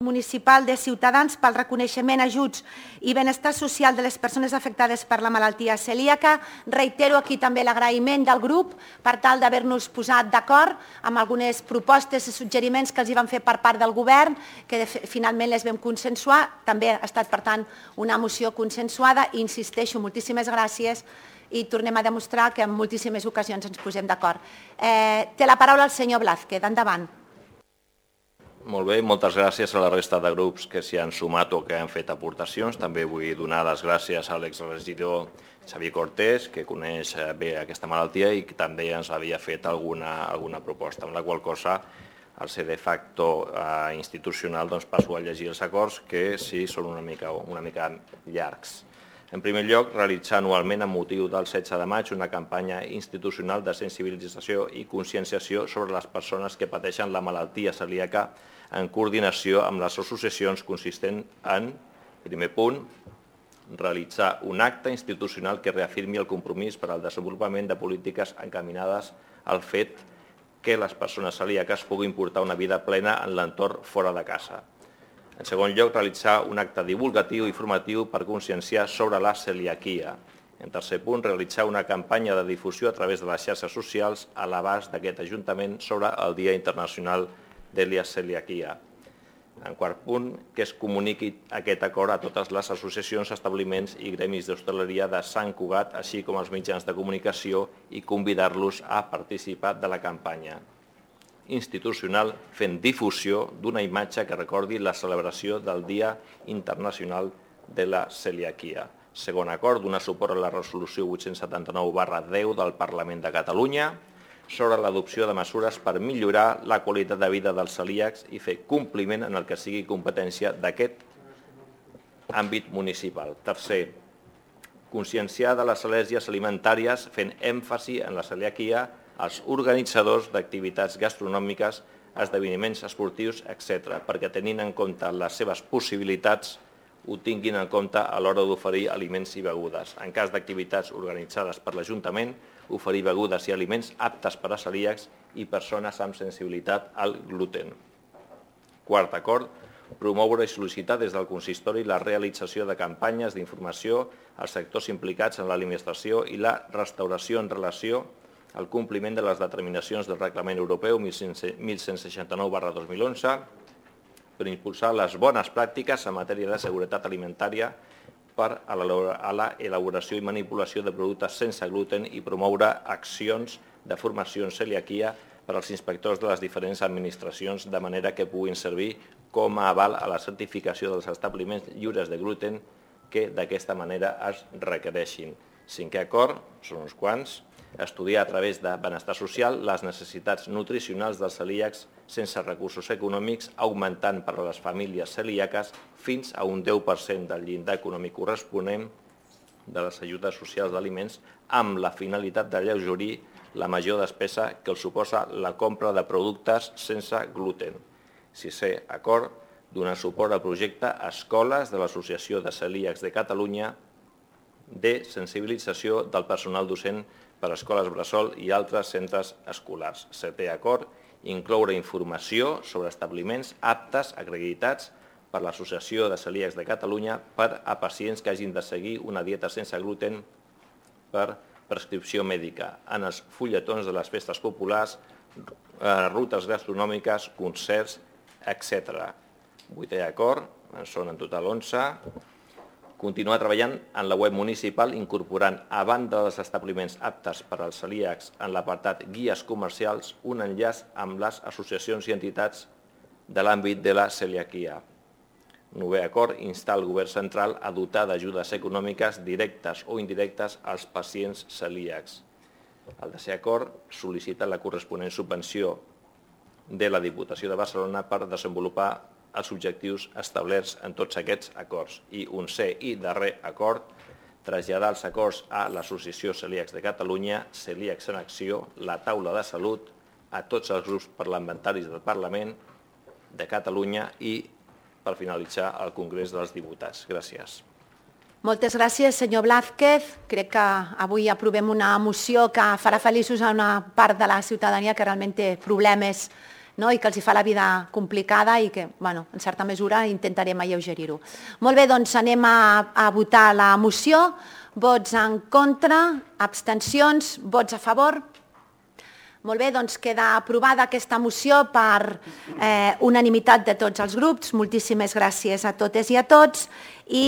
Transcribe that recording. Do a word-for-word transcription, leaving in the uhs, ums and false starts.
municipal de Ciutadans pel reconeixement, ajuts i benestar social de les persones afectades per la malaltia celíaca. Reitero aquí també l'agraïment del grup per tal d'haver-nos posat d'acord amb algunes propostes i suggeriments que els hi van fer per part del govern, que finalment les vam consensuar. També ha estat, per tant, una moció consensuada. I insisteixo, moltíssimes gràcies i tornem a demostrar que en moltíssimes ocasions ens posem d'acord. Té la paraula el senyor Blázquez. Endavant. Molt bé, moltes gràcies a la resta de grups que s'hi han sumat o que han fet aportacions. També vull donar les gràcies a l'exregidor Xavier Cortés, que coneix bé aquesta malaltia i que també ens havia fet alguna, alguna proposta, amb la qual cosa, al ser de facto eh, institucional, doncs passo a llegir els acords, que sí són una mica, una mica llargs. En primer lloc, realitzar anualment, amb motiu del setze de maig, una campanya institucional de sensibilització i conscienciació sobre les persones que pateixen la malaltia celíaca en coordinació amb les associacions, consistent en, primer punt, realitzar un acte institucional que reafirmi el compromís per al desenvolupament de polítiques encaminades al fet que les persones celíaques puguin portar una vida plena en l'entorn fora de casa. En segon lloc, realitzar un acte divulgatiu i formatiu per conscienciar sobre la celiaquia. En tercer punt, realitzar una campanya de difusió a través de les xarxes socials a l'abast d'aquest Ajuntament sobre el Dia Internacional de la Celiaquia. En quart punt, que es comuniqui aquest acord a totes les associacions, establiments i gremis d'hostaleria de Sant Cugat, així com als mitjans de comunicació, i convidar-los a participar de la campanya institucional fent difusió d'una imatge que recordi la celebració del Dia Internacional de la Celiaquia. Segon acord, donar suport a la resolució vuit-cents setanta-nou barra deu del Parlament de Catalunya sobre l'adopció de mesures per millorar la qualitat de vida dels celíacs i fer compliment en el que sigui competència d'aquest àmbit municipal. Tercer, conscienciar de les al·lèrgies alimentàries fent èmfasi en la celiaquia als organitzadors d'activitats gastronòmiques, esdeveniments esportius, etcètera, perquè tenint en compte les seves possibilitats ho tinguin en compte a l'hora d'oferir aliments i begudes. En cas d'activitats organitzades per l'Ajuntament, oferir begudes i aliments aptes per a celíacs i persones amb sensibilitat al gluten. Quart acord, promoure i sol·licitar des del consistori la realització de campanyes d'informació als sectors implicats en l'alimentació i la restauració en relació al compliment de les determinacions del Reglament Europeu mil cent seixanta-nou barra dos mil onze per impulsar les bones pràctiques en matèria de seguretat alimentària per a l'elaboració i manipulació de productes sense gluten i promoure accions de formació en celiaquia per als inspectors de les diferents administracions, de manera que puguin servir com a aval a la certificació dels establiments lliures de gluten que d'aquesta manera es requereixin. Cinquè acord, són uns quants, estudiar a través de benestar social les necessitats nutricionals dels celíacs sense recursos econòmics, augmentant per a les famílies celíaques fins a un deu per cent del llindar econòmic corresponent de les ajudes socials d'aliments amb la finalitat d'alleugerir la major despesa que els suposa la compra de productes sense gluten. Sisè acord, donar suport al projecte Escoles de l'Associació de Celíacs de Catalunya de sensibilització del personal docent per a escoles bressol i altres centres escolars. Setè acord, incloure informació sobre establiments aptes acreditats per l'Associació de Celíacs de Catalunya per a pacients que hagin de seguir una dieta sense gluten per prescripció mèdica en els fulletons de les festes populars, rutes gastronòmiques, concerts, etcètera. Vuitè acord, en són en total onze. Continuar treballant en la web municipal incorporant, a banda dels establiments aptes per als celíacs en l'apartat guies comercials, un enllaç amb les associacions i entitats de l'àmbit de la celiaquia. Novè acord, instar el govern central a dotar d'ajudes econòmiques directes o indirectes als pacients celíacs. El desè acord, sol·licita la corresponent subvenció de la Diputació de Barcelona per desenvolupar els objectius establerts en tots aquests acords. I onzè i darrer acord, traslladar els acords a l'Associació Celíacs de Catalunya, Celíacs en Acció, la Taula de Salut, a tots els grups parlamentaris del Parlament de Catalunya i, per finalitzar, al Congrés dels Diputats. Gràcies. Moltes gràcies, senyor Blázquez. Crec que avui aprovem una moció que farà feliços a una part de la ciutadania que realment té problemes no? I que els hi fa la vida complicada i que, bueno, en certa mesura, intentarem alleugerir-ho. Molt bé, doncs anem a, a votar la moció. Vots en contra, abstencions, vots a favor. Molt bé, doncs queda aprovada aquesta moció per eh, unanimitat de tots els grups. Moltíssimes gràcies a totes i a tots. I